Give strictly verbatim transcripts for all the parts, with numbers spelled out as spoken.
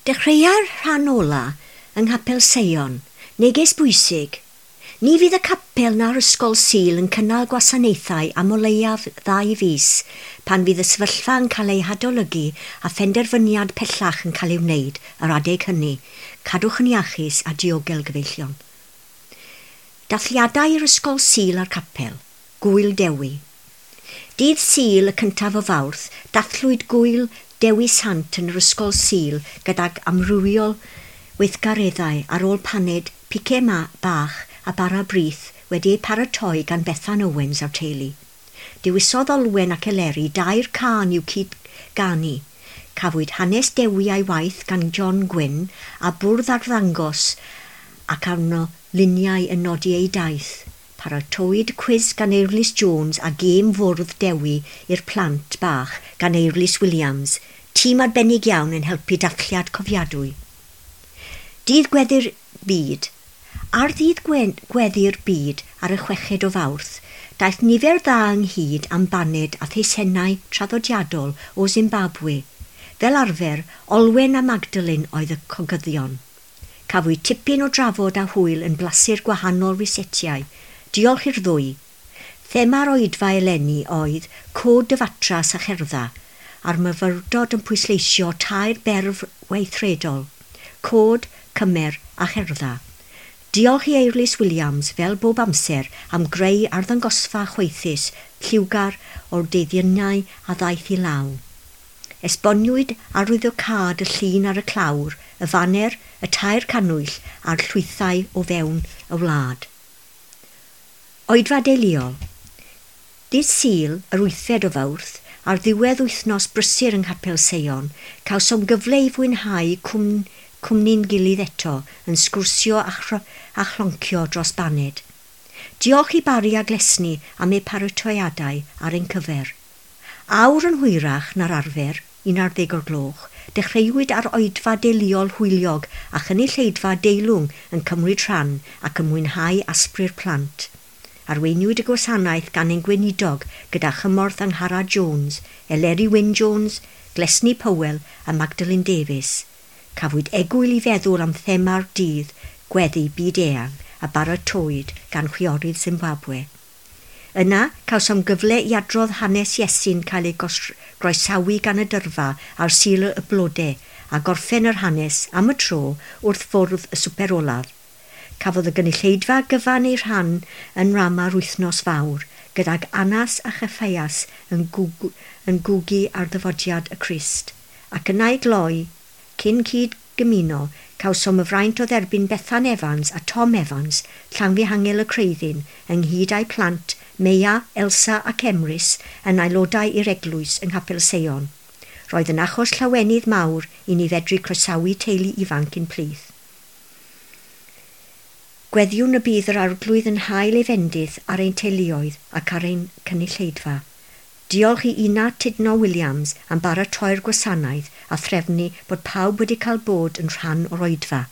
Dechreua'r rhan ola yng Nghapel Seion, neges bwysig. Ni fydd y capel na'r ysgol Sul yn cynnal gwasanaethau am o leiaf ddau fis pan fydd y sefyllfa yn cael ei hadolygu a phenderfyniad pellach yn cael ei wneud yr adeg hynny. Cadwch yn iachus a diogel, gyfeillion. Dathliadau i'r ysgol Sul a'r capel, Gŵyl Dewi. Dydd Sul y cyntaf o Fawrth, dathlwyd Gŵyl Dewi Sant yn yr ysgol Sul gydag amrywiol weithgareddau ar ôl paned, pice ma bach a bara brith wedi eu paratoi gan Bethan Owens a'r teulu. Dewisodd Olwen ac Eleri dair cân i'w cyd ganu. Cafwyd hanes Dewi a'i waith gan John Gwyn a bwrdd arddangos ac arno luniau yn nodi ei daith. Paratowyd cwis gan Eirlys Jones a gêm fwrdd Dewi i'r plant bach gan Eirlys Williams, tîm arbennig iawn yn helpu dathliad cofiadwy. Dydd Gweddi'r Byd. Ar ddydd Gweddi'r Byd ar y chweched o Fawrth, daeth nifer dda ynghyd am baned a theisennau traddodiadol o Zimbabwe. Fel arfer, Olwen a Magdalene oedd y cogyddion. Cafwyd tipyn o drafod a hwyl yn blasu'r gwahanol rysetiau. Diolch i'r ddwy. Thema'r oedfa eleni oedd Cod dy Fatras a Cherdda, a'r myfyrdod yn pwysleisio tair berf weithredol: Cod, Cymer a Cherdda. Diolch i Eirlys Williams, fel bob amser, am greu arddangosfa chwaethus, lliwgar o'r deuddyniau a ddaeth i law. Esboniwyd arwyddocâd y llun ar y clawr, y faner, y tair cannwyll a'r llwythau o fewn y wlad. Oedfa deuluol. Dydd Sul, yr wythfed o Fawrth, ar ddiwedd wythnos brysur yng Nghapel Seion, cawsom gyfle i fwynhau cwm, cwmni'n gilydd eto yn sgwrsio a, chro, a chloncio dros baned. Diolch i Bari a Glesni am eu paratoiadau ar ein cyfer. Awr yn hwyrach na'r arfer, un ar ddeg o'r gloch, dechreuwyd ar oedfa deuluol hwyliog a chynulleidfa deilwng yn cymryd rhan ac yn mwynhau asbri'r plant. Arweiniwyd y gwasanaeth gan ein gweinidog gyda chymorth Angharad Jones, Eleri Wyn Jones, Glesni Powell a Magdalene Davies. Cafwyd egwyl i feddwl am thema'r dydd, gweddi byd eang, a baratowyd gan chwiorydd Zimbabwe. Yna, cawsom gyfle i adrodd hanes Iesu'n cael ei groesawu gan y dyrfa ar Sul y Blode a gorffen yr hanes am y tro wrth fwrdd y swper olaf. Cafodd y gynulleidfa gyfan ei rhan yn nrama'r wythnos fawr, gydag Anas a Cheffeias yn, gwg, yn gwgu ar ddyfodiad y Crist. Ac yna i gloi, cyn cyd gymuno, cawsom y fraint o dderbyn Bethan Evans a Tom Evans, Llanfihangel y Creuddyn, ynghyd â'u plant, Meia, Elsa ac Emrys, yn aelodau i'r eglwys yng Nghapel Seion. Roedd yn achos llawenydd mawr i ni fedru croesawu teulu ifanc i'n plith. Gweddiwn y bydd yr Arglwydd yn hael ei fendith ar ein teuluoedd ac ar ein cynulleidfa. Diolch i Ina Tudno Williams am baratoi'r gwasanaeth a threfnu bod pawb wedi cael bod yn rhan o'r oedfa.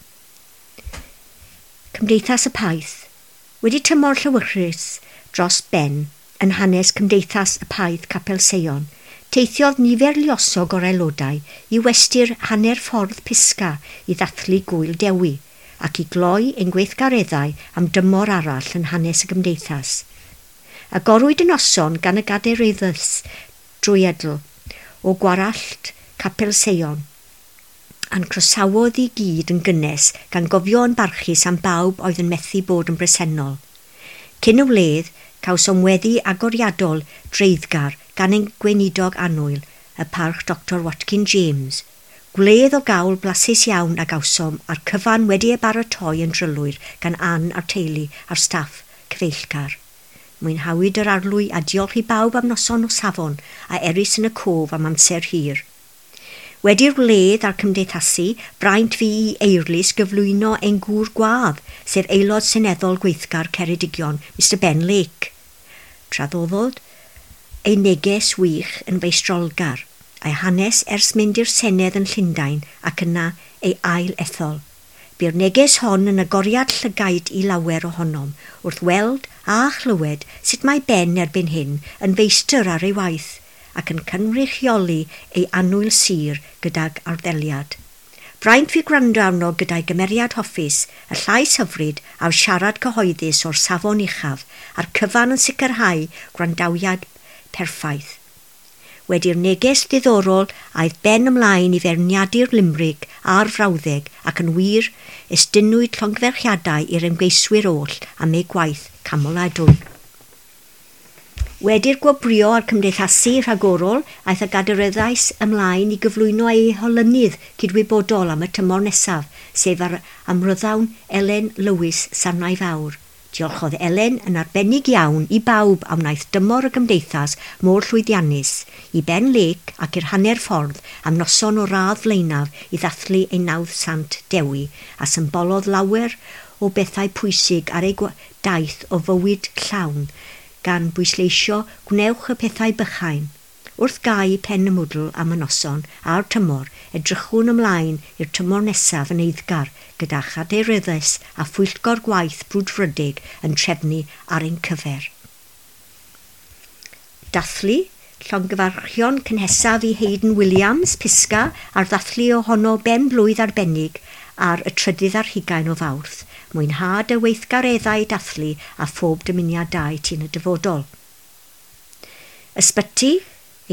Cymdeithas y Paith. Wedi tymor llewyrchus dros ben yn hanes Cymdeithas y Paith Capel Seion, teithiodd nifer luosog o'r aelodau i westy'r hanner ffordd Pisga i ddathlu Gŵyl Dewi ac i gloi ein gweithgareddau am dymor arall yn hanes y gymdeithas. Agorwyd y noson gan y gadeiryddys drwyadl o Gwarallt Capel Seion, a'n croesawodd i gyd yn gynnes gan gofio yn barchus am bawb oedd yn methu bod yn bresennol. Cyn y wledd, cawsom weddi agoriadol dreiddgar gan ein gweinidog annwyl, y parch Doctor Watkin James. Gwledd o gawl blasus iawn a gawsom a'r cyfan wedi ei baratoi yn drylwyr gan Ann a'r teulu a'r staff cyfeillgar. Mwynhawyd yr arlwy a diolch i bawb am noson o safon a erys yn y cof am amser hir. Wedi'r wledd a'r cymdeithasu, braint fi i Eirlys gyflwyno ein gŵr gwadd, sef aelod seneddol gweithgar Ceredigion, Mister Ben Lake. Traddoddodd ei neges wych yn feistrolgar, a'i hanes ers mynd i'r Senedd yn Llundain ac yna ei ail ethol. Bu'r neges hon yn agoriad llygaid i lawer ohonom wrth weld a chlywed sut mae Ben erbyn hyn yn feistr ar ei waith ac yn cynrychioli ei annwyl sir gydag arddeliad. Fraint fi gwrando arno gyda'i gymeriad hoffus, y llais hyfryd a'r siarad cyhoeddus o'r safon uchaf, a'r cyfan yn sicrhau gwrandawiad perffaith. Wedi'r neges ddiddorol aeth Ben ymlaen i feirniadu'r limrig a'r frawddeg ac yn wir estynnwyd llongyfarchiadau i'r ymgeiswyr oll am eu gwaith canmoladwy. Wedi'r gwobrwyo a'r cymdeithasu rhagorol, aeth y gadeiryddes ymlaen i gyflwyno ei holynydd cydwybodol am y tymor nesaf, sef yr amryddawn Elen Lewis Sarnau Fawr. Diolchodd Elen yn arbennig iawn i bawb a wnaeth dymor y gymdeithas mor llwyddiannus, i Ben Lake ac i'r hanner ffordd am noson o radd flaenaf i ddathlu ei nawdd Sant Dewi, a symbolodd lawer o bethau pwysig ar ei daith o fywyd llawn, gan bwysleisio gwnewch y pethau bychain. Wrth gau pen y mwdl am y noson a'r tymor, edrychwn ymlaen i'r tymor nesaf yn eiddgar gyda chadeiryddes a phwyllgor gwaith brwdfrydig yn trefnu ar ein cyfer. Dathlu, llongyfarchion cynhesaf i Hayden Williams, Pisga, ar ddathlu ohono ben blwydd arbennig ar y trydydd ar hugain o Fawrth. Mwynhad y weithgareddau dathlu a phob dymuniad da i ti yn y dyfodol. Ysbyty,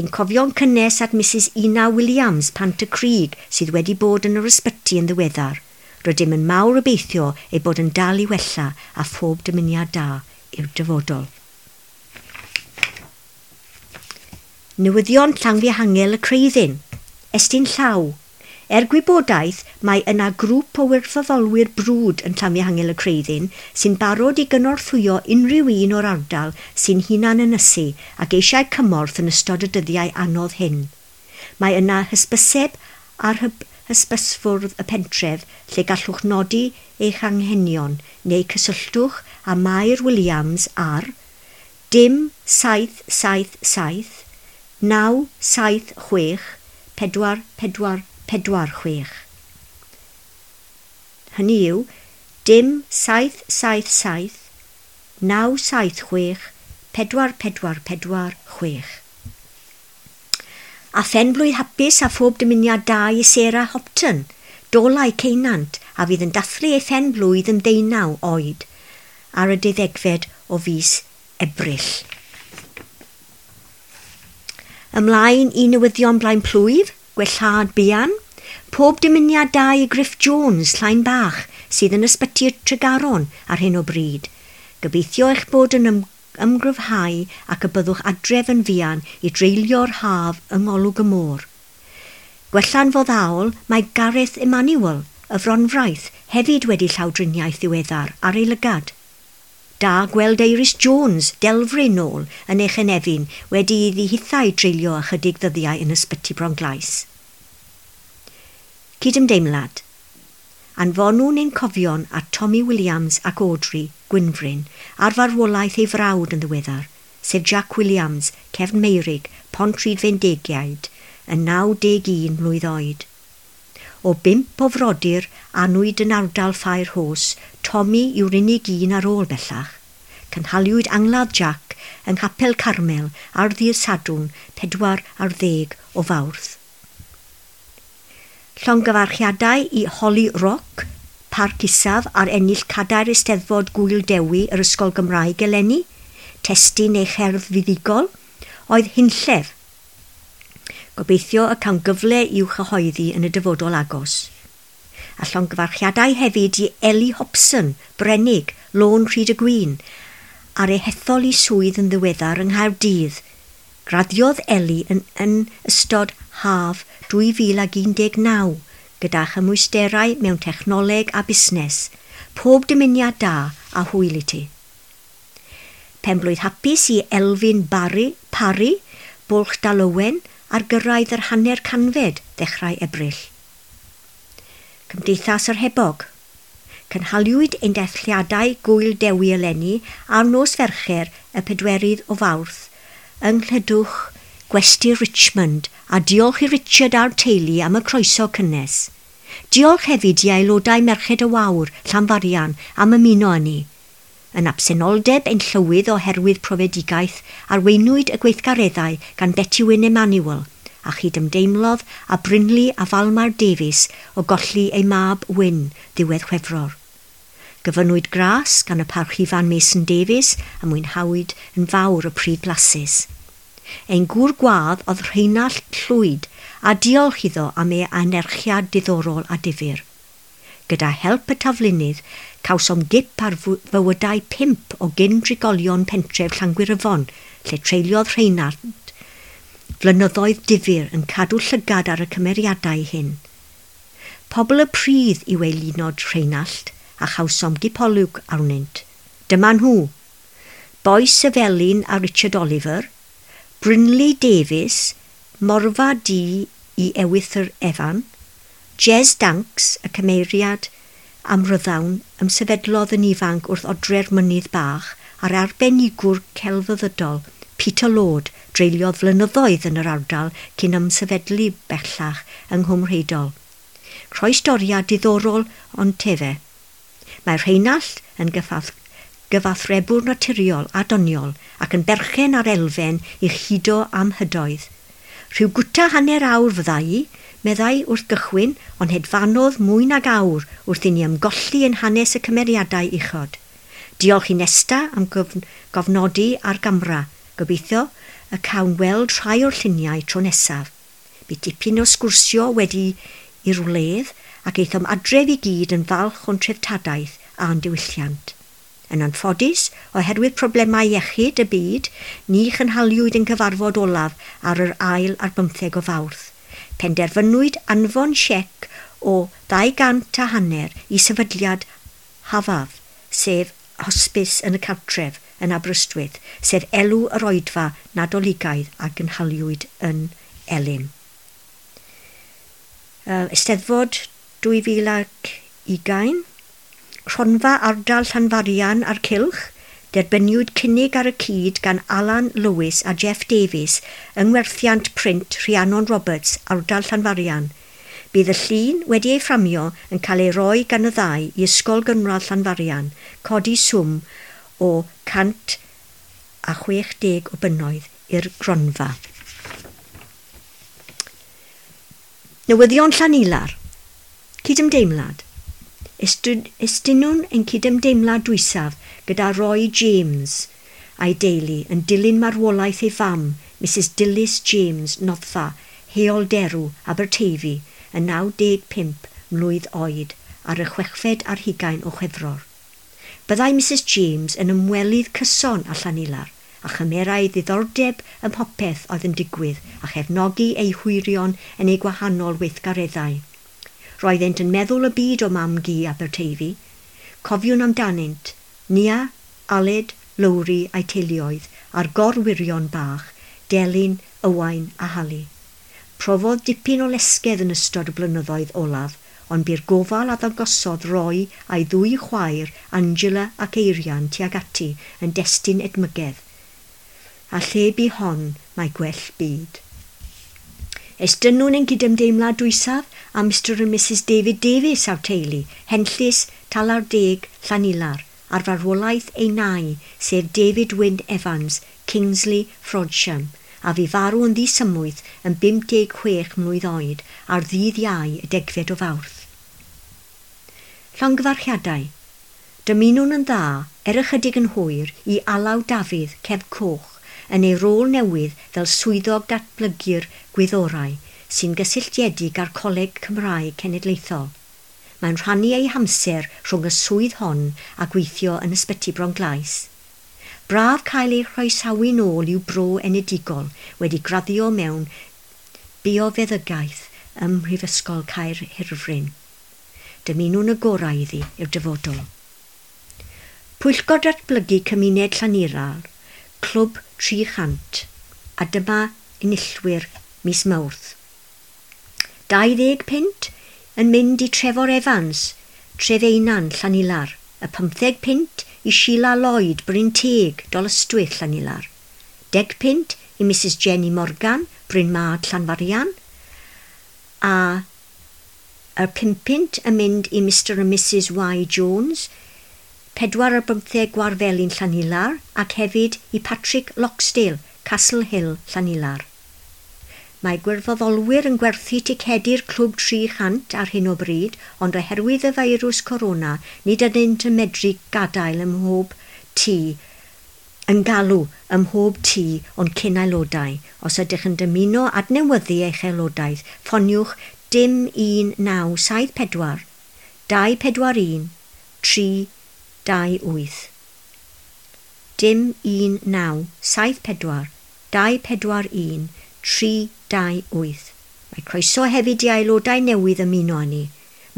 ein cofion cynnes at Mrs Ina Williams, Pant y Crug, sydd wedi bod yn yr ysbyty yn ddiweddar. Rydym yn mawr obeithio ei bod yn dal i wella a phob dymuniad da i'r dyfodol. Newyddion Llanfihangel y Creuddyn. Estyn llaw. Er gwybodaeth, mae yna grŵp o wirfoddolwyr brwd yn Llanfihangel y Creuddyn sy'n barod i gynorthwyo unrhyw un o'r ardal sy'n hunan ynysu ac eisiau cymorth yn ystod y dyddiau anodd hyn. Mae yna hysbyseb ar hysbysfwrdd y pentref lle gallwch nodi eich anghenion neu cysylltwch â Mair Williams ar dim saith saith saith naw saith chwech pedwar pedwar pedwar chwech. Hynny yw, dim saith saith saith naw saith chwech pedwar pedwar pedwar chwech. A phenblwydd hapus a phob dymuniad da i Sarah Hopton, Dolau Ceunant, a fydd yn dathlu ei phenblwydd yn ddeunaw oed ar y deuddegfed o fis Ebrill. Ymlaen i newyddion blaen plwyf, gwellhad buan, pob dymuniad da i Griff Jones, Llain Bach, sydd yn ysbyty Tregaron ar hyn o bryd. Gobeithio eich bod yn ym ymgryfhau ac y byddwch adref yn fuan i dreulio'r haf yng ngolwg y môr. Gwella'n foddhaol, mae Gareth Emmanuel, y Fronfraith, hefyd wedi llawdriniaeth ddiweddar ar ei lygad. Da gweld Iris Jones, Delfryn nôl, yn ei chynefin, wedi iddi hithau dreulio ychydig ddyddiau yn ysbyty Bronglais. Cydymdeimlad. Anfonwn ein cofion at Tommy Williams ac Audrey Gwynfryn ar farwolaeth ei frawd yn ddiweddar, sef Jack Williams, Cefn Meirig, Pontrhydfendigaid, yn naw deg un mlwydd oed. O bump o frodyr anwyd yn ardal Ffair Hos, Tommy yw'r unig un ar ôl bellach. Cynhaliwyd angladd Jack yng Nghapel Carmel ar ddydd Sadwrn pedwar ar ddeg o Fawrth. Llongyfarchiadau i Holly Rock, Parc Isaf ar ennill cadair Eisteddfod Gŵyl Dewi yr Ysgol Gymraeg eleni, testun ei cherdd fuddugol, oedd hunllef. Gobeithio y cawn gyfle i'w chyhoeddi yn y dyfodol agos. A llongyfarchiadau hefyd i Ellie Hobson, Brenig, Lôn Rhyd y Gwyn, ar ei hethol i swydd yn ddiweddar yng Nghaerdydd. Graddiodd Ellie yn, yn ystod haf dwy fil ag un deg naw gyda chymwysterau mewn technoleg a busnes. Pob dymuniad da a hwyl i ti. Penblwydd hapus i Elfyn Barry, Parry, Bwlch Dalowen, ar gyrraedd yr hanner canfed ddechrau Ebrill. Cymdeithas yr Hebog. Cynhaliwyd ein dathliadau Gŵyl Dewi eleni ar nos Fercher y pedwerydd o Fawrth yng Nghlydwch Gwesty Richmond, a diolch i Richard a'r teulu am y croeso cynnes. Diolch hefyd i aelodau Merched y Wawr, Llanfarian, am ymuno â ni. Yn absenoldeb ein llywydd oherwydd profedigaeth, arweinwyd y gweithgareddau gan Betty Wyn Emmanuel, a chydymdeimlodd a Brynley a Falmar Davies o golli ei mab Wyn ddiwedd Chwefror. Gofynnwyd gras gan y Parchedig Ifan Mason Davies a mwynhawyd yn fawr y pryd blasus. Ein gŵr gwadd oedd Rheinallt Llwyd a diolch iddo am ei anerchiad diddorol a difyr. Gyda help y taflunydd, cawsom gip ar fywydau pump o gyn-drigolion pentref Llangwyryfon, lle treuliodd Rheinallt flynyddoedd difyr yn cadw llygad ar y cymeriadau hyn. Pobl y pridd yw eilunod Rheinallt a chawsom gipolwg arnynt. Dyma nhw: Bois y Felin a Richard Oliver, Brynley Davies, Morfa Du i Ewythr Evan, Jez Danks, y cymeriad amryddawn, ymsefydlodd yn ifanc wrth odre'r mynydd bach, a'r arbenigwr celfyddydol Peter Lord dreuliodd flynyddoedd yn yr ardal cyn ymsefydlu bellach yng Nghwmrheidol. Croestoriad diddorol ond tefe. Mae Rheinallt yn gyfath gyfathrebwr naturiol a doniol ac yn berchen ar elfen i'ch hudo am hydoedd. Rhyw gwta hanner awr fyddai i, meddai wrth gychwyn, ond hedfanodd mwy nag awr wrth i ni ymgolli yn hanes y cymeriadau uchod. Diolch i Nesta am gofnodi ar gamra. Gobeithio y cawn weld rhai o'r lluniau tro nesaf. Bu dipyn o sgwrsio wedi i'r wledd ac aethom adref i gyd yn falch o'n treftadaeth a'n diwylliant. Yn anffodus, oherwydd problemau iechyd y byd, ni chynhaliwyd yn cyfarfod olaf ar yr ail ar bymtheg o Fawrth. Penderfynwyd anfon siec o ddau gant a hanner i sefydliad Hafaf, sef hosbis yn y cartref yn Aberystwyth, sef elw yr oedfa Nadoligaidd a gynhaliwyd yn Elim. Uh, Eisteddfod dwy fil ac ugain, Cronfa Ardal Llanfarian a'r Cylch, derbyniwyd cynnig ar y cyd gan Alan Lewis a Jeff Davies yng ngwerthiant print Rhiannon Roberts, Ardal Llanfarian. Bydd y llun wedi ei fframio yn cael ei roi gan y ddau i Ysgol Gynradd Llanfarian, codi swm o cant a chwech deg o bunnoedd i'r gronfa. Newyddion Llanilar. Cydymdeimlad. Estynwn ein cydymdeimlad dwysaf gyda Roy James a'i deulu yn dilyn marwolaeth ei fam, Missus Dilys James, Noddfa, Heol Derw, Aberteifi, yn naw deg pump mlwydd oed ar y chwechfed ar hugain o Chwefror. Byddai Missus James yn ymwelydd cyson â Llanilar a chymerai ddiddordeb ym mhopeth oedd yn digwydd a chefnogi ei hwyrion yn ei gwahanol weithgareddau. Roeddent yn meddwl y byd o mam gu Aberteifi. Cofiwn amdanynt, Nia, Aled, Lowri a'i teuluoedd, a'r gorwyrion bach, Delyn, Ywain a Hali. Profodd dipyn o lesgedd yn ystod y blynyddoedd olaf, ond bu'r gofal a ddangosodd Roy a'i ddwy chwaer, Angela ac Eirian, tuag ati yn destun edmygedd. A lle bu hon mae gwell byd. Estynwn ein cydymdeimlad dwysaf a Mister and Missus David Davies a'r teulu, Henllys, Talar Deg, Llanilar, ar farwolaeth ei nai, sef David Wyn Evans, Kingsley, Frodsham, a fu farw yn ddisymwyth yn bum deg chwech mlwydd oed ar ddydd Iau y degfed o Fawrth. Llongyfarchiadau. Dymunwn yn dda, er ychydig yn hwyr, i Alaw Dafydd, Cefn Coch, yn ei rôl newydd fel swyddog datblygu'r gwyddorau sy'n gysylltiedig â'r Coleg Cymraeg Cenedlaethol. Mae'n rhannu ei hamser rhwng y swydd hon a gweithio yn Ysbyty Bronglais. Braf cael ei chroesawu nôl i'w bro enedigol wedi graddio mewn biofeddygaeth ym Mhrifysgol Caerhirfryn. Dymunwn y gorau iddi i'r dyfodol. Pwyllgor Datblygu Cymuned Llanilar, Clwb tri chant, a dyma enillwyr mis Mawrth. dau ddeg punt yn mynd i Trefor Evans, Trefeinan, Llanilar, y pymtheg punt i Sheila Lloyd, Bryn Teg, Dolystwyth, Llanilar, deg punt i Missus Jenny Morgan, Bryn Mad, Llanfarian, a y pum punt yn mynd i Mister and Missus Y Jones, pedwar ar bymtheg Gwarfelin, Llanilar, ac hefyd i Patrick Loxdale, Castle Hill, Llanilar. Mae gwirfoddolwyr yn gwerthu ticedi'r Clwb tri chant ar hyn o bryd, ond oherwydd y feirws corona, nid ydynt yn medru gadael ym mhob tŷ, yn galw ym mhob tŷ o'n cyn aelodau. Os ydych yn dymuno adnewyddu eich aelodaeth, ffoniwch dim un naw saith pedwar, dau pedwar un, tri dau wyth. Dim un naw saith pedwar, dau pedwar un, tri dau wyth. Mae croeso hefyd i aelodau newydd ymuno â ni.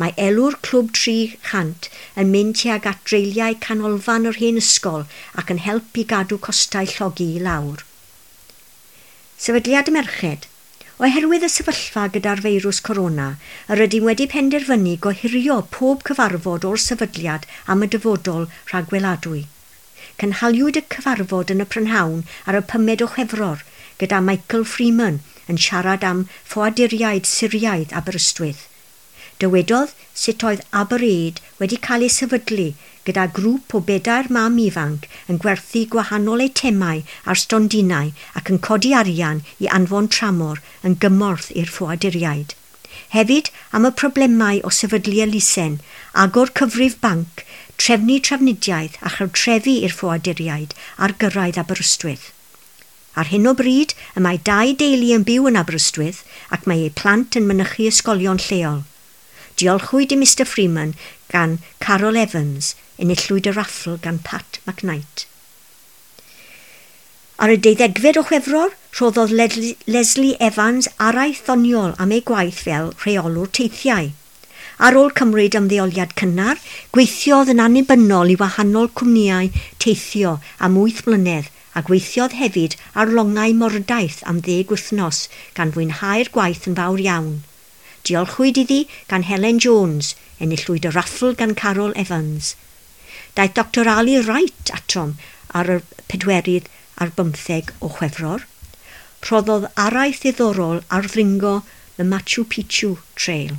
Mae elw'r Clwb tri chant yn mynd tuag at dreuliau canolfan yr hen ysgol ac yn help i gadw costau llogi i lawr. Sefydliad y Merched. Oherwydd y sefyllfa gyda'r feirws corona, yr ydym wedi penderfynu gohirio pob cyfarfod o'r sefydliad am y dyfodol rhagweladwy. Cynhaliwyd y cyfarfod yn y prynhawn ar y pumed o Chwefror gyda Michael Freeman yn siarad am ffoaduriaid Syriaidd Aberystwyth. Dywedodd sut oedd AberAid wedi cael ei sefydlu gyda grŵp o bedair mam ifanc yn gwerthu gwahanol eitemau ar stondinau ac yn codi arian i anfon tramor yn gymorth i'r ffoaduriaid. Hefyd am y problemau o sefydlu elusen, agor cyfrif banc, trefnu trafnidiaeth a chartrefi i'r ffoaduriaid ar gyrraedd Aberystwyth. Ar hyn o bryd, y mae dau deulu yn byw yn Aberystwyth ac mae eu plant yn mynychu ysgolion lleol. Diolchwyd i Mister Freeman gan Carol Evans, enillwyd y raffl gan Pat McKnight. Ar y deuddegfed o Chwefror, rhoddodd Leslie Evans araith ddoniol am ei gwaith fel rheolwr teithiau. Ar ôl cymryd ymddeoliad cynnar, gweithiodd yn annibynnol i wahanol cwmnïau teithio am wyth mlynedd a gweithiodd hefyd ar longau mordaith am ddeg wythnos gan fwynhau'r gwaith yn fawr iawn. Diolchwyd iddi gan Helen Jones, enillwyd y raffl gan Carol Evans. Daeth Doctor Ali Wright atom ar y pedwerydd ar bymtheg o Chwefror. Rhoddodd araith ddiddorol ar ddringo the Machu Picchu Trail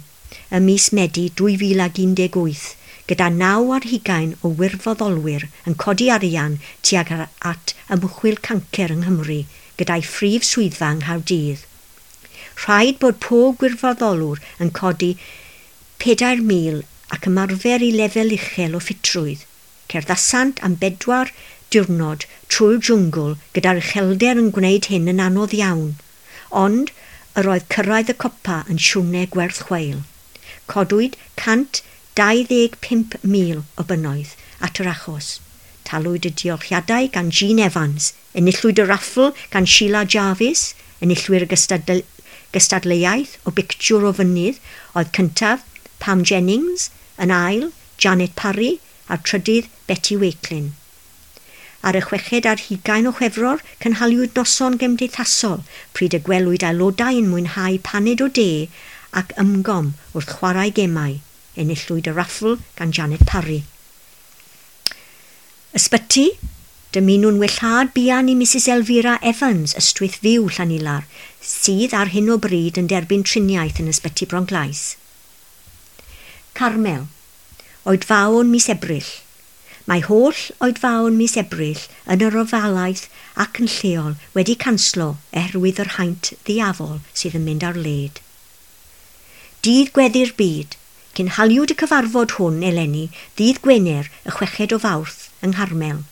ym mis Medi dwy fil ag un deg wyth, gyda naw ar hugain o wirfoddolwyr yn codi arian tuag at ymchwil cancer yng Nghymru gyda'i phrif swyddfa yng Nghaerdydd. Rhaid bod pob gwirfoddolwr yn codi pedair mil ac ymarfer i lefel uchel o ffitrwydd. Cerddasant am bedwar diwrnod trwy'r jwngl gyda'r uchelder yn gwneud hyn yn anodd iawn, ond yr oedd cyrraedd y copa yn siwrne gwerth chweil. Codwyd cant dau ddeg pump mil o bunnoedd at yr achos. Talwyd y diolchiadau gan Jean Evans, enillwyd y raffl gan Sheila Jarvis, enillwyr y gystadle-, gystadleuaeth o bictiwr o fynydd oedd cyntaf Pam Jennings, yn ail Janet Parry a'r trydydd Betty Wakelin. Ar y chweched ar hugain o Chwefror, cynhaliwyd noson gymdeithasol, pryd y gwelwyd aelodau yn mwynhau paned o de ac ymgom wrth chwarae gemau. Enillwyd y raffl gan Janet Parry. Ysbyty, dymunwn wellhad buan i Missus Elvira Evans, Ystwyth Fyw Llanilar, sydd ar hyn o bryd yn derbyn triniaeth yn Ysbyty Bronglais. Carmel, oedfaon mis Ebrill. Mae holl oedfaon mis Ebrill yn yr ofalaeth ac yn lleol wedi canslo oherwydd yr haint ddiafol sydd yn mynd ar led. Dydd Gweddi'r Byd. Cynhaliwyd y cyfarfod hwn eleni ddydd Gwener y chweched o Fawrth yng Ngharmel.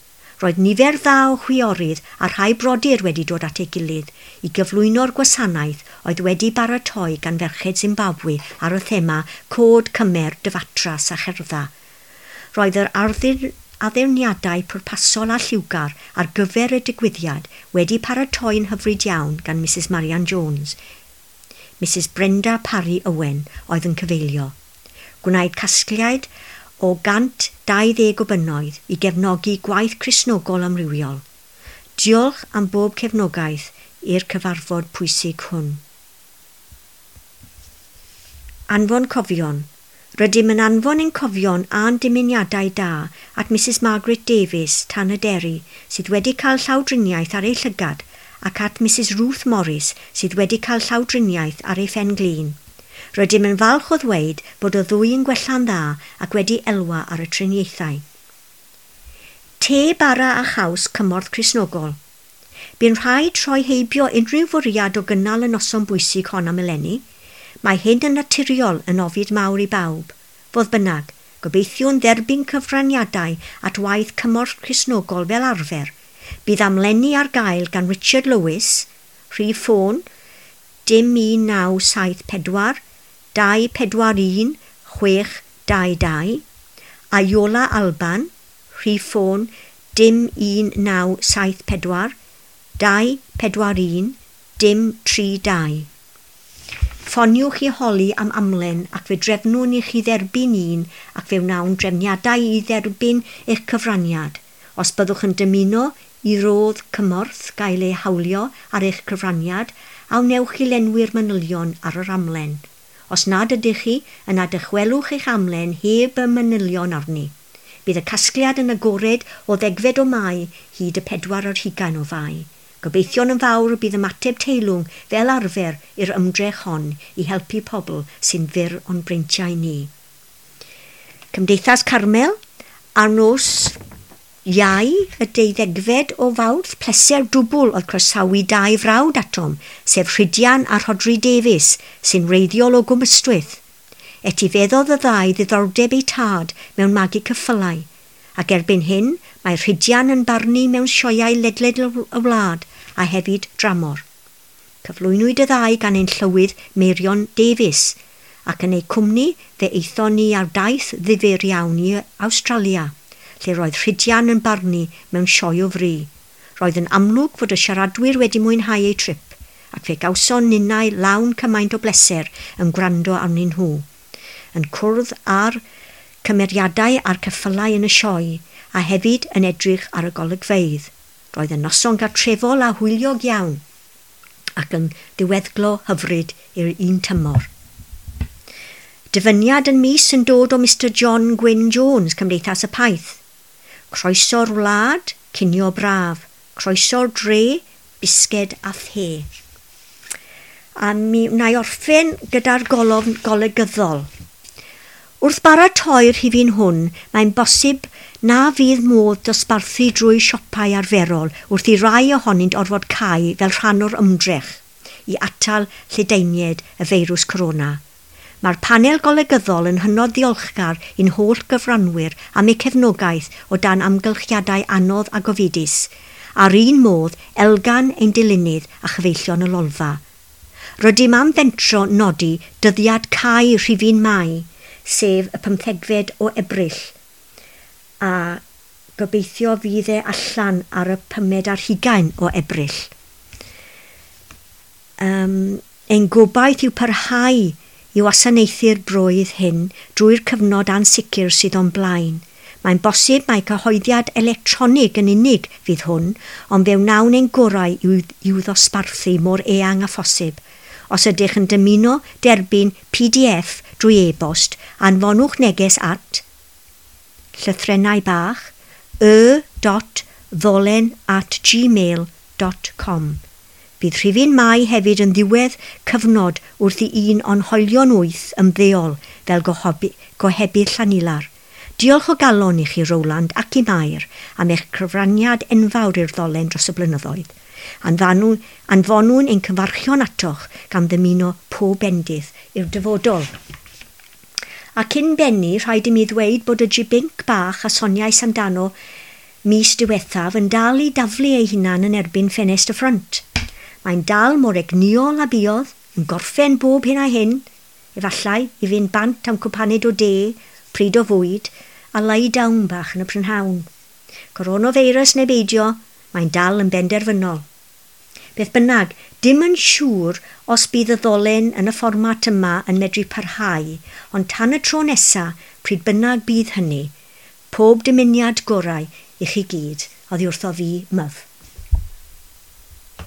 Roedd nifer dda o chwiorydd a rhai brodyr wedi dod at ei gilydd i gyflwyno'r gwasanaeth oedd wedi baratoi gan ferched Zimbabwe ar y thema Cod Cymer, Dyfatras a Cherdda. Roedd yr addurniadau pwrpasol a lliwgar ar gyfer y digwyddiad wedi paratoi'n hyfryd iawn gan Missus Marian Jones. Missus Brenda Parry Owen oedd yn cyfeilio. Gwnaed casgliad o gant dau ddeg o bunnoedd i gefnogi gwaith Cristnogol amrywiol. Diolch am bob cefnogaeth i'r cyfarfod pwysig hwn. Anfon cofion. Rydym yn anfon ein cofion a'n dymuniadau da at Missus Margaret Davies, Tanyderi, sydd wedi cael llawdriniaeth ar ei llygad, ac at Missus Ruth Morris, sydd wedi cael llawdriniaeth ar ei phen-glin. Rydym yn falch o ddweud bod y ddwy yn gwella'n dda ac wedi elwa ar y triniaethau. Te, bara a chaws cymorth Cristnogol. Bu'n rhaid troi heibio unrhyw fwriad o gynnal y noson bwysig hon am eleni. Mae hyn yn naturiol yn ofid mawr i bawb. Fodd bynnag, gobeithiwn dderbyn cyfraniadau at waith cymorth Cristnogol fel arfer. Bydd amlenni ar gael gan Richard Lewis, rhif ffôn dim un naw saith pedwar, dau pedwar un, chwech dau dau, a Iola Alban, rhif ffôn dim un naw saith pedwar, dau pedwar un, dim tri dau. Ffoniwch i holi am amlen ac fe drefnwn i chi dderbyn un ac fe wnawn drefniadau i dderbyn eich cyfraniad. Os byddwch yn dymuno i rodd cymorth gael ei hawlio ar eich cyfraniad, a wnewch chi lenwi'r manylion ar yr amlen. Os nad ydych chi, yna dychwelwch eich amlen heb y manylion arni. Bydd y casgliad yn agored o ddegfed o Mai hyd y pedwar ar hugain o Fai. Gobeithio'n yn fawr y bydd ymateb teilwng fel arfer i'r ymdrech hon i helpu pobl sy'n fyr o'n breintiau ni. Cymdeithas Carmel, ar nos Iau y deuddegfed o Fawrth, pleser dwbl oedd croesawu dau frawd atom, sef Rhydian a Rhodri Davies, sy'n wreiddiol o Gwm Ystwyth. Etifeddodd y ddau ddiddordeb eu tad mewn magu ceffylau, ac erbyn hyn mae Rhydian yn barnu mewn sioeau ledled y wlad a hefyd dramor. Cyflwynwyd y ddau gan ein llywydd Meirion Davies, ac yn eu cwmni fe aethon ni ar daith ddifyr iawn i Awstralia, lle roedd Rhydian yn barnu mewn sioe o fri. Roedd yn amlwg fod y siaradwyr wedi mwynhau eu trip, ac fe gawson ninnau lawn cymaint o bleser yn gwrando arnyn nhw. Yn cwrdd â'r cymeriadau a'r ceffylau yn y sioe, a hefyd yn edrych ar y golygfeydd. Roedd yn noson gartrefol a hwyliog iawn, ac yn ddiweddglo hyfryd i'r un tymor. Dyfyniad yn mis yn dod o Mister John Gwyn Jones, Cymdeithas y Paith. Croeso'r wlad, cinio braf. Croeso'r dre, bisged a the. A mi wna i orffen gyda'r golofn golygyddol. Wrth baratoi'r rhifyn hwn, mae'n bosib na fydd modd dosbarthu drwy siopau arferol wrth i rai ohonynt orfod cau fel rhan o'r ymdrech i atal lledaeniad y feirws corona. Mae'r panel golygyddol yn hynod ddiolchgar i'n holl gyfranwyr am eu cefnogaeth o dan amgylchiadau anodd a gofidus, a'r un modd Elgan ein dilynydd a chyfeillion y Lolfa. Rydym am fentro nodi dyddiad cau rhifyn Mai, sef y pymthegfed o Ebrill, a gobeithio fydd e allan ar y pumed ar hugain o Ebrill. Um, ein gobaith yw parhau i wasanaethu'r broydd hyn drwy'r cyfnod ansicr sydd o'n blaen. Mae'n bosib mai cyhoeddiad electronig yn unig fydd hwn, ond fe wnawn ein gorau i'w, i'w ddosbarthu mor eang â phosib. Os ydych yn dymuno derbyn P D F drwy e-bost, anfonwch neges at llythrennau bach y dot ddolen at gmail dot com. Bydd rhifyn Mai hefyd yn ddiwedd cyfnod wrth i un o'n hoelion wyth ymddeol fel gohobi-, gohebydd Llanilar. Diolch o galon i chi, Roland, ac i Mair am eich cyfraniad enfawr i'r ddolen dros y blynyddoedd. Anfanw, anfonwn ein cyfarchion atoch gan ddymuno pob bendith i'r dyfodol. A cyn bennu, rhaid i mi ddweud bod y jibinc bach a soniais amdano mis diwethaf yn dal i daflu ei hunan yn erbyn ffenest y ffrynt. Mae'n dal mor egnïol a buodd, yn gorffen bob hyn a hyn, efallai i fynd bant am cwpaned o de, pryd o fwyd, a lie down bach yn y prynhawn. Coronavirus neu beidio, mae'n dal yn benderfynol. Beth bynnag, dim yn siŵr os bydd y ddolen yn y fformat yma yn medru parhau, ond tan y tro nesa, pryd bynnag bydd hynny, pob dymuniad gorau i chi gyd, oddi wrtho fi, Myf.